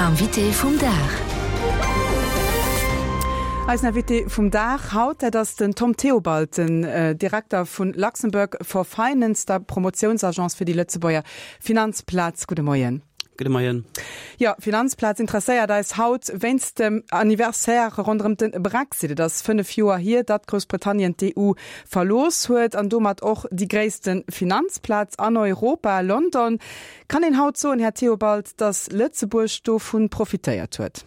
Invité vum Dag. Eisen Invité vum Dag haut, dat ass den Tom Theobald, den Direkter vu Luxembourg for Finance, der Promotiounsagence fir déi Lëtzebuerger Finanzplaz. Gudde Moien. Gudde Moien. Jo, Finanzplaz interesséiert eis haut wéinst dem Anniversaire ronderëm de Brexit. Et ass 5 Joer hier, datt Groussbritannien d'EU verlooss huet an domat och déi gréisste Finanzplaz an Europa, London. Kann een haut soen, Här Theobald, datt Lëtzebuerg dovu profitéiert huet?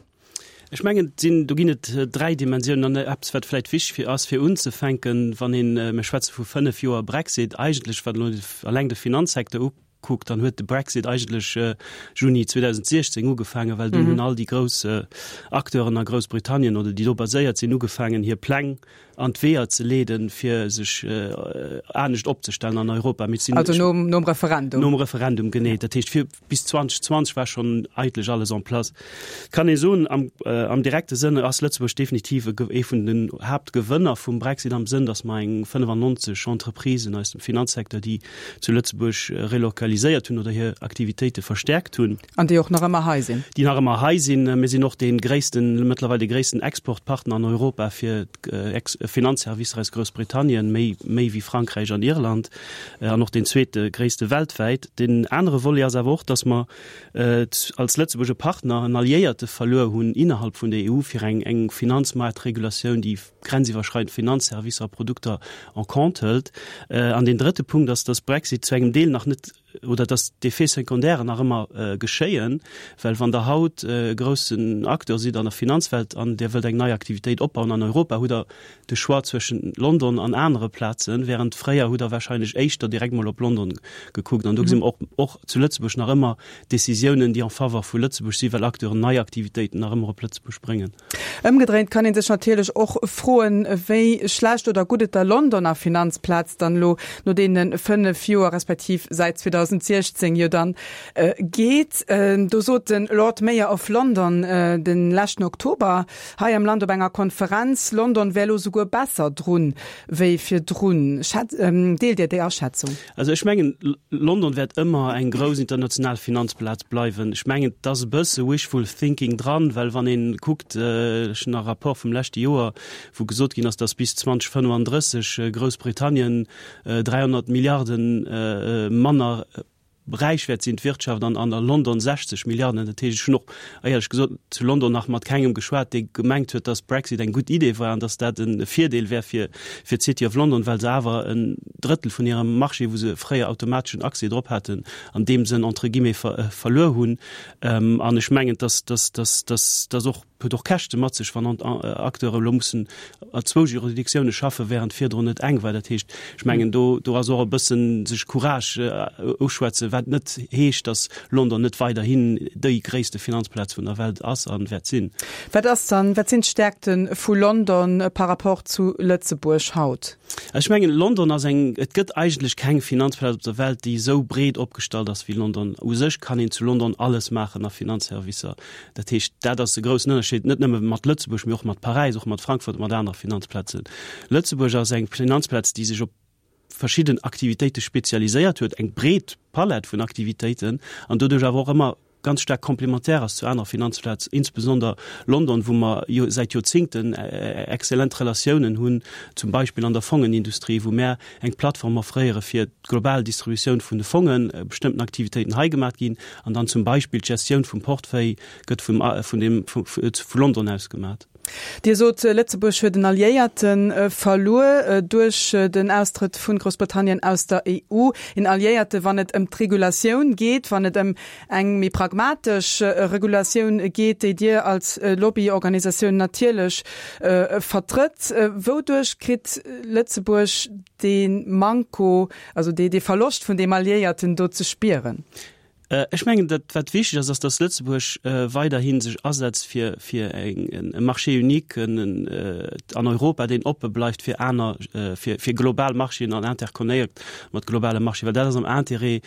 Ech mengen, et sinn, do ginn et dräi Dimensiounen an eppes, wat vläicht wichteg fir ass, fir unzefänken, wann een, mir schwätze vu 5 Joer Brexit, eigentlech, wat elo eleng de Finanzsecteur ukuckt, dann huet de Brexit eigentlech Juni 2016 ugefaangen, well dunn hunn all déi grouss Acteuren a Groussbritannien oder déi do baséiert sinn, ugefaangen, hir Pläng an d'Weeër ze leeden, fir sech anescht opzestellen an Europa. Mir sinn Also nom, nom Referendum. Nom Referendum, genee. Dat heescht, fir bis 2020 war schonn eigentlech alles en place. Et kann ee soen, am, am direkte Sënn ass Lëtzebuerg definitiv e, ee vun den Haaptgewënner vum Brexit am Sënn, datt mer eng 95 Entreprisen aus dem Finanzsecteur, déi zu Lëtzebuerg relokaliséiert hunn oder hir Aktivitéite verstärkt hunn. An déi och nach ëmmer hei sinn. Déi nach ëmmer hei sinn. Mir sinn och dee gréissten, mëttlerweil de gréissten Exportpartner an Europa fir Finanzservicer aus Groussbritannien, méi, méi wéi Frankräich an Irland, an och deen zweete gréisste weltwäit. Deen anere Volet ass awer och, datt mer als Lëtzebuerg e Partner, en Alliéierte verluer hunn innerhalb vun der EU fir eng, eng Finanzmaartregulatioun, déi grenziwwerschreidend Finanzservicer a Produkter en compte hëlt. An deen drëtte Punkt ass, datt Brexit zu engem Deel nach net, oder dass d'Effets secondaires nach ëmmer geschéien, well wann Der haut e groussen Acteur sidd an der Finanzwelt an Dir wëllt eng nei Aktivitéit opbauen an Europa, hutt Der de Choix zwëschen London an anere Plazen, während fréier hutt Der wahrscheinlech éischter direkt mol op London gekuckt. An do gesi mer och, och zu Lëtzebuerg nach ëmmer Décisiounen, déi en faveur vu Lëtzebuerg sinn, well Acteuren nei Aktivitéiten nach ëmmer op Lëtzebuerg bréngen. Ëmgedréint kann ee sech natierlech och froen, wéi schlecht oder gutt et der Londoner Finanzplaz dann elo no deene 5 Joer, respektiv säit 2016 jo dann, geet. Do sot de Lord Mayor of London de leschten Oktober hei am Land op enger Konferenz, London wär elo souguer besser drun wéi virdrun. Deelt Dir déi Aschätzung? Also ech mengen, London wäert ëmmer eng grouss international Finanzplaz bleiwen. Ech mengen, et ass e bësse wishful thinking dran, well wann ee kuckt, ech hunn nach e Rapport vum leschte Joer, wou gesot ginn ass, datt bis 2035 Groussbritannien 300 Milliarden manner räich wäert sinn, d'Wirtschaft, an a London 60 Milliarden. Dat heescht, ech hunn och éierlech gesot zu London nach mat kengem geschwat, dee gemengt huet, datt Brexit eng gutt Idee war an datt dat e Virdeel wär fir fir d'City of London, well se awer en Drëttel vun hirem Marché, wou se fréier automateschen Accès drop haten, an deem Sënn entre guillemets verluer hunn. An ech mengen, datt datt datt datt datt och huet och Käschte mat sech, wann Acteure elo mussen a zwou Juridictioune schaffen, während virdrun et eng war. Dat heescht, ech mengen, do do ass och e bëssen sech Courage uschwätzen, wat net heescht, datt London net weiderhin déi gréisste Finanzplaz vun der Welt ass a wäert sinn. Wat ass dann, wat sinn d'Stäerkte vu London par rapport zu Lëtzebuerg haut? Ech mengen, London ass eng, et gëtt eigentlech keng Finanzplaz op der Welt, déi esou breet opgestallt ass wéi London. U sech kann een zu London alles maachen a Finanzservicer. Dat heescht, dat ass e groussen Ënnerscheed, net nëmme mat Lëtzebuerg, mee och mat Paräis, och mat Frankfurt, mat anere Finanzplazen. Lëtzebuerg ass eng Finanzplaz, déi sech op verschidden Aktivitéite spezialiséiert huet, eng breet Palett vun Aktivitéiten an doduerch awer och ëmmer ganz staark komplementär ass zu anere Finanzplaz, insbesonder London, wou mer jo säit Joerzingten exzellent Relatiounen hunn, zum Beispill an der Fongenindustrie, wou mär eng Plattform offréiere fir d'global Distributioun vun de Fongen, bestëmmten Aktivitéiten hei gemaat ginn an dann zum Beispill d'Gestioun vum Portefeuille gëtt vum vun dem vu London aus gemaat. Dir sot, Lëtzebuerg huet en Alliéierte verluer duerch den Austrëtt vu Groussbritannien aus der EU. En Alliéierte wann et ëm d'Regulatioun geet, wann et ëm eng méi pragmatesch Regulatioun geet, déi Dir als Lobbyorganisatioun natierlech vertrëtt. Wouduerch kritt Lëtzebuerg dee Manko, also dee Verloscht vun deem Alliéierten do ze spieren? Ech mengen, dat wat wichteg ass, ass, datt Lëtzebuerg weiderhi sech asetzt fir fir e Marché unique an Europa, deen oppe bleift fir aner, fir fir global Marchéen an interconnected mat globale Marchéen, well dat ass am Intérêt.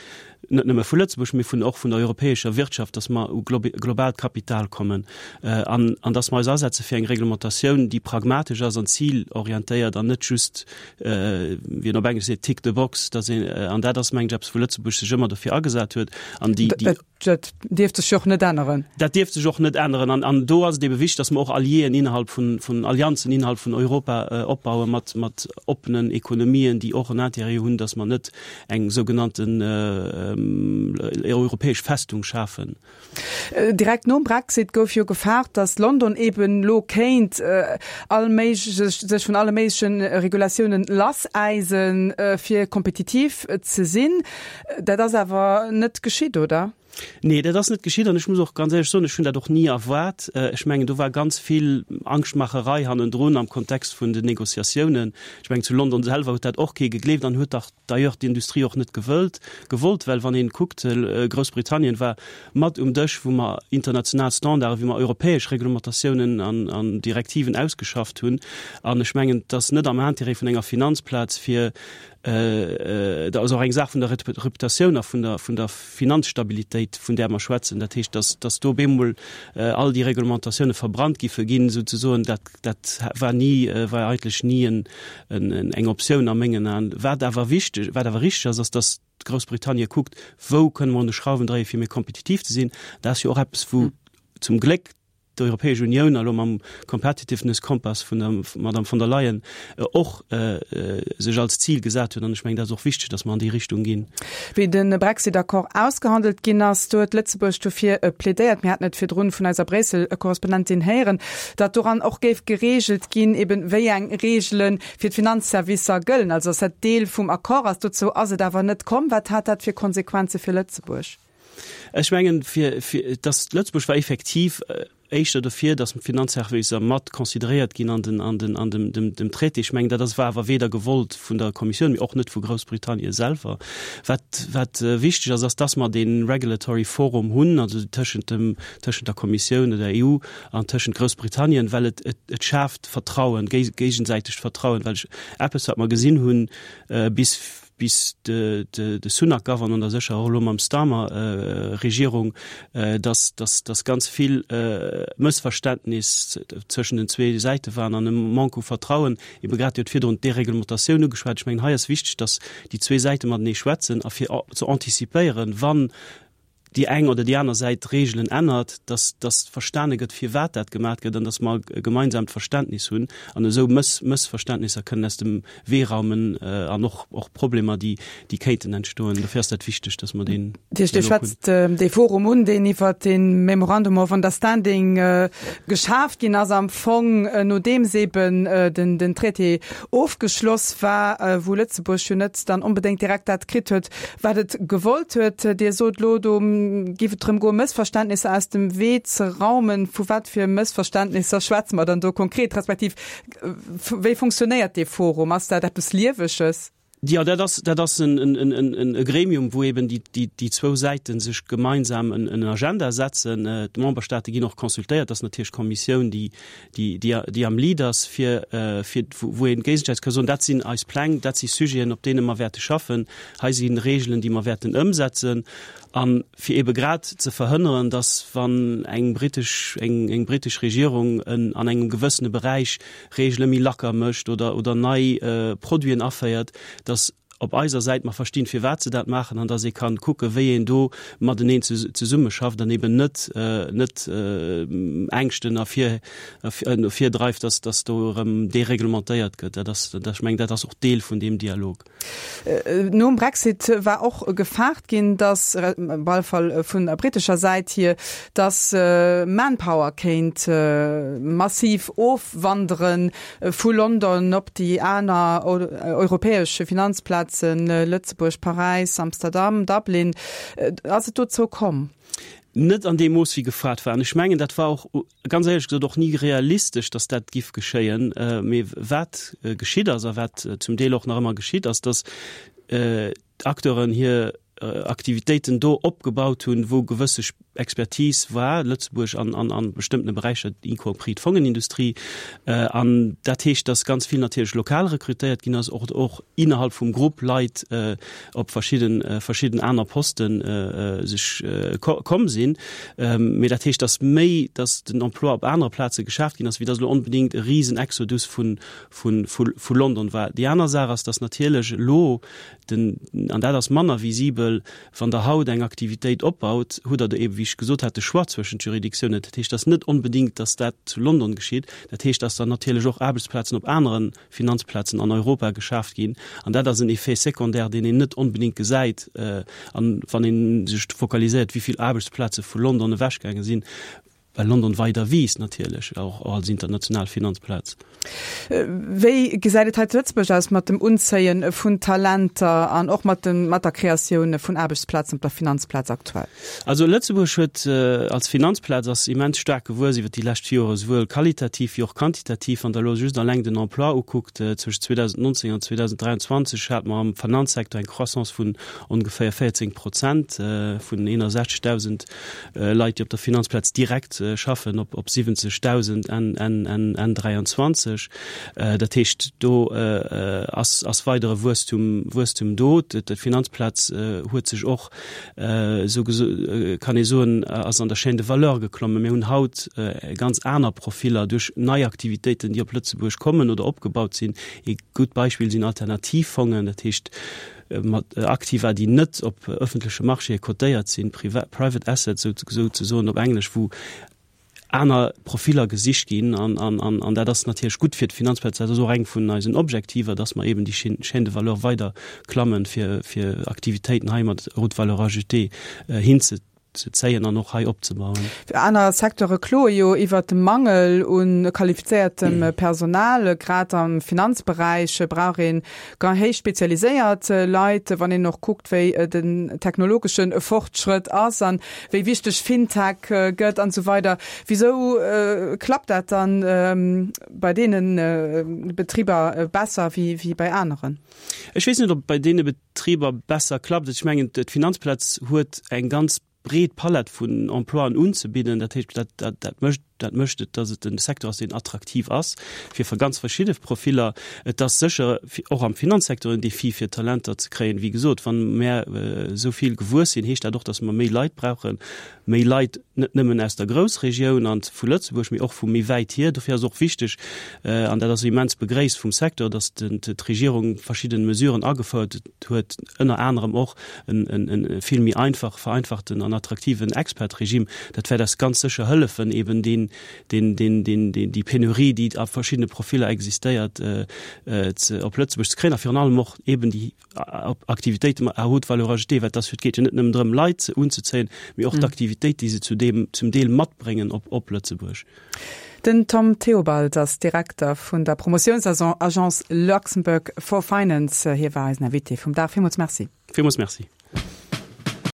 Net nëmme vu Lëtzebuerg, mee vun och vun der europäescher Wirtschaft, dass mer u globaalt Kapital kommen an an dass mer eis asetze fir eng Reglementatioun, déi pragmatesch ass an zilorientéiert an net just, wéi een op Englesch seet, tick the box, dass een, an dat ass, mengen ech, eppes, wou Lëtzebuerg sech ëmmer dofir agesat huet an déi, déi. Dat dierft sech jo och net änneren. Dat dierft sech och net änneren. An, an do ass et ebe wichteg, dass mer och Alliéen innerhalb vun, vun Allianzen innerhalb vun Europa opbauen, mat, mat oppenen Ekonomien, déi och en Intérêt hunn, dass mer net eng sougenannten europäesch Festung schafen. Direkt nom Brexit gouf jo gefaart, datt London eben elo kéint all méiglech, sech vun alle méigleche Regulatiounen lassäisen, fir kompetitiv ze sinn. Dat ass awer net geschitt, oder? Nee, dat ass net geschitt an ech muss och ganz éierlech soen, ech hunn dat och ni erwaart. Ech mengen, do war ganz vill Angschtmacherei hannendrun am Kontext vun den Négociatiounen. Ech mengen, zu London selwer huet dat och kee gegleeft an huet dach d'ailleurs d'Industrie och net gewëllt, gewollt, well wann ee kuckt, Groussbritannien war mat um Dësch, wou mer international Standarden, wéi mer europäesch Reglementatiounen an, an Direktiven ausgeschafft hunn. An ech mengen, et ass net am Intérêt vun enger Finanzplaz, fir Dat ass och eng Saach vun der Reputatioun a vun der, vun der Finanzstabilitéit, vun där mer schwätzen. Dat heescht, dass, dass do op eemol all déi Reglementatioune verbrannt giffe ginn, souzesoen, dat, dat war ni, war eigentlech ni en, en, eng Optioun a mengen Aen. Wat awer wichteg, wat awer richteg ass, ass, dass Groussbritannie kuckt, wou kënne mer un de Schrauwen dréien, fir méi kompetitiv ze sinn. Dat ass jo och eppes, wou zum Gléck d'Europäesch Unioun a lo mam Competitiveness Compass vun der Madame von der Leyen och sech als Zil gesat huet. An ech mengen, dat ass och wichteg, datt mer an déi Richtung ginn. Wéi de Brexit-Accord ausgehandelt ginn ass, do huet Lëtzebuerg dofir plädéiert, mir haten et virdrun vun eiser Bréissel-Korrespondentin héieren, datt doran och géif gereegelt ginn, eben wéi eng Reegele fir d'Finanzservicer gëllen, also datt dat Deel vum Accord ass. Dozou ass et awer net komm. Wat hat dat fir Konsequenze fir Lëtzebuerg? Ech mengen, fir, fir, dass Lëtzebuerg war effektiv éischter dofir, dass d'Finanzservicer mat consideréiert ginn an den, an den, an dem, dem, dem Traité. Ech mengen, dat ass, war awer weder gewollt vun der Kommissioun, mee och net vu Groussbritannien selwer. Wat, wat wichteg ass, ass, dass mer dee Regulatory Forum hunn, also tëschent dem, tëschent der Kommissioun oder der EU an tëschent Groussbritannien, well et, et, et schaaft Vertrauen, géigesäitegt Vertrauen, well ech, eppes, wat mer gesinn hunn bis, bis de Sunak gouf an an der sécher och elo mam Starmer Regierung, dass dass ganz vill Mëssverständnis zwëschen den zwee Säite waren an e Manque u Vertrauen. Ebe grad, Dir hutt virdrun d'Dereglementatioun ugeschwat. Ech mengen, hei ass wichteg, dass déi zwee Säite matenee schwätzen a fir ze antizipéieren, wann déi eng oder déi aner Säit d'Reegelen ännert, dass dass verstane gëtt, firwat dat gemat gëtt an dass mer e gemeinsamt Verständnis hunn an esou Mëss Mëssverständnisser kënnen aus dem Wee raumen an och och Problemer, déi déi kéinten entstoen. Dofir ass dat wichteg, dass mer deen Dir Dialog hunn. schwätzt dee Forum un, deen iwwert dee Memorandum of Understanding geschaaft ginn ass am Fong, nodeems eeben den den Traité ofgeschloss war, wou Lëtzebuerg jo net dann onbedéngt direkt dat kritt huet, Wat et gewollt huet. Dir sot elo, do géif et drëm goen, Mëssverständnisser aus dem Wee ze raumen. Vu wat fir Mëssverständnisser schwätze mer dann do konkret, respektiv wéi funktionéiert dee Forum? Ass dat eppes Lieweges? Jo, dat ass, dat ass e Gremium, wou eben déi zwou Säite sech gemeinsam en Agenda setzen. D'Memberstaate ginn och consultéiert. Dat ass natierlech d'Kommissioun, déi déi, déi, déi am Lead ass, fir, fir, wou een géigesäiteg ka soen, dat sinn eis Pläng, dat si Sujeten, op deene mer wäerte schaffen, hei si Regeln, déi mer wäerten ëmsetzen. A fir eebe grad ze verhënneren, dass, wann eng britesch, eng, eng britesch Regierung en, an engem gewëssene Beräich Regele méi lacker mécht oder, oder nei Produiten aféiert, dass op eiser Säit mer verstinn, firwat se dat maachen an dass ee kann kucken, wéi een do mateneen zesummeschafft an eben net net Ängschten ervir ervirdreift, dass dass do erëm dereglementéiert gëtt. Dat ass, ech mengen, dat ass och Deel vun deem Dialog. Nom Brexit war och gefaart ginn, dass, op alle Fall vun der britescher Säit hier, dass Manpower kéint massiv ofwanderen Vu London op déi aner europäesch Finanzplazen, Lëtzebuerg, Paräis, Amsterdam, Dublin. Ass et dozou komm? Net an deem Mooss, wéi gefrot war. An ech mengen, dat war och, ganz éierlech gesot, och ni realistesch, datt dat giff geschéien. Mee wat geschitt ass a wat zum Deel och nach ëmmer geschitt, ass, datt d'Acteuren hir Aktivitéiten do opgebaut hunn, wou gewësse. Expertise war Lëtzebuerg an an an bestëmmtene Beräicher, y compris d'Fongenindustrie. An dat heescht, datt ganz vill natierlech lokal rekrutéiert ginn ass, och och innerhalb vum Grupp Leit op verschidden verschidden aner Posten sech komm sinn. Mee dat heescht, datt méi, datt den Emploi op anere Plaze geschaaft ginn ass, wéi datt elo onbedéngt e Risenexodus vun vun vu London war. Déi aner Saach ass, datt natierlech elo den, an dat ass manner visibel, Wann Der haut eng Aktivitéit opbaut, hutt Der eben, wéi ech gesot hat, de Choix zwëschent Juridictiounen. Dat heescht, dass net onbedéngt, dass dat zu London geschitt. Dat heescht, dass dann natierlech och Aarbechtsplazen op anere Finanzplazen an Europa geschaaft ginn. An dat ass en Effet secondaire, deen een net onbedéngt gesäit. An wann ee sech fokaliséiert, wéi vill Aarbechtsplaze vu London ewechgaange sinn, Well London weider wiisst natierlech, och als international Finanzplaz. Wéi gesäit et hei zu Lëtzebuerg aus mat dem Unzéie vun Talenter an och mat dem, mat der Kreatioun vun Aarbechtsplazen op der Finanzplaz aktuell? Also Lëtzebuerg huet als Finanzplaz ass immens staark gewuess iwwer déi lescht Joren, esouwuel qualitativ wéi och quantitativ. Wann Der elo just alleng den Emploi ukuckt, zwëschen 2019 an 2023 hate mer am Finanzsecteur eng Croissance vun ongeféier 14 Prozent, vun 61.000 Leit, déi op der Finanzplaz direkt schaffen, op 70.000 Enn 23. Dat heescht, do ass weidere Wuesstum do. D'Finanzplaz huet sech och, esou kann ee soen, ass an der Chaîne de valeur geklommen. Mir hunn haut ganz aner Profiller duerch nei Aktivitéiten, déi op Lëtzebuerg kommen oder opgebaut sinn. Ee gutt Beispill sinn Alternativfongen, dat heescht, mat Aktiva, déi net op ëffentleche Marchéë cotéiert sinn, private assets souzesoen op Englesch, wou aner Profiller gesicht ginn. An dat ass natierlech gutt fir d'Finanzplaz. Dat ass och eng vun eisen Objektiver, dass mer eben déi Chaîne de valeur weider klammen, fir Aktivitéiten hei mat haute valeur ajoutée hinze. ze zéien an och hei opzebauen. Aner Secteure kloe jo iwwert de Mangel u qualifizéiertem Personal. Grad am Finanzberäich brauch ee héich spezialiséiert Leit. Wann een och kuckt, wéi den technologesche Fortschrëtt ass an wéi wichteg FinTech gëtt an esou weider. Wisou klappt dat dann bei deene Betriber besser wéi bei aneren? Ech weess net, ob et bei deene Betriber besser klappt. Ech mengen, d'Finanzplaz huet eng ganz breet Palett vun Emploien unzebidden. Dat heescht, dat, dat, dat mécht, dat mécht et, datt et e Secteur ass, deen attraktiv ass fir ganz verschidde Profiller. Et ass sécher och am Finanzsecteur en Defi, fir Talenter ze kréien. Wéi gesot, wann mär esou vill gewuess sinn, heescht dat och, datt mer méi Leit brauchen. Méi Leit net nëmmen aus der Groussregioun an vu Lëtzebuerg, mee och vu méi wäit hier. Dofir ass och wichteg, an dat ass immens begréisst vum Secteur, datt d'Regierung verschidden Mesuren agefouert huet, ënner anerem och e vill méi einfach, vereinfachten an attraktiven Expat-Regime. Dat wäert eis ganz sécher hëllefen, eben deen, deen, deen, deen, déi Penurie, déi a verschiddene Profiller existéiert, op Lëtzebuerg ze kréien a virun allem och eben déi Aktivitéite mat à haute valeur ajoutée, well et geet jo net nëmmen drëm, Leit unzezéien, mee och d'Aktivitéit, déi se zu deem, zum Deel matbréngen op, op Lëtzebuerg. Den Tom Theobald ass Direkter vun der Promotiounsagence Luxembourg for Finance. Hie war eisen Invité vum Dag. Villmools Merci. Villmools Merci.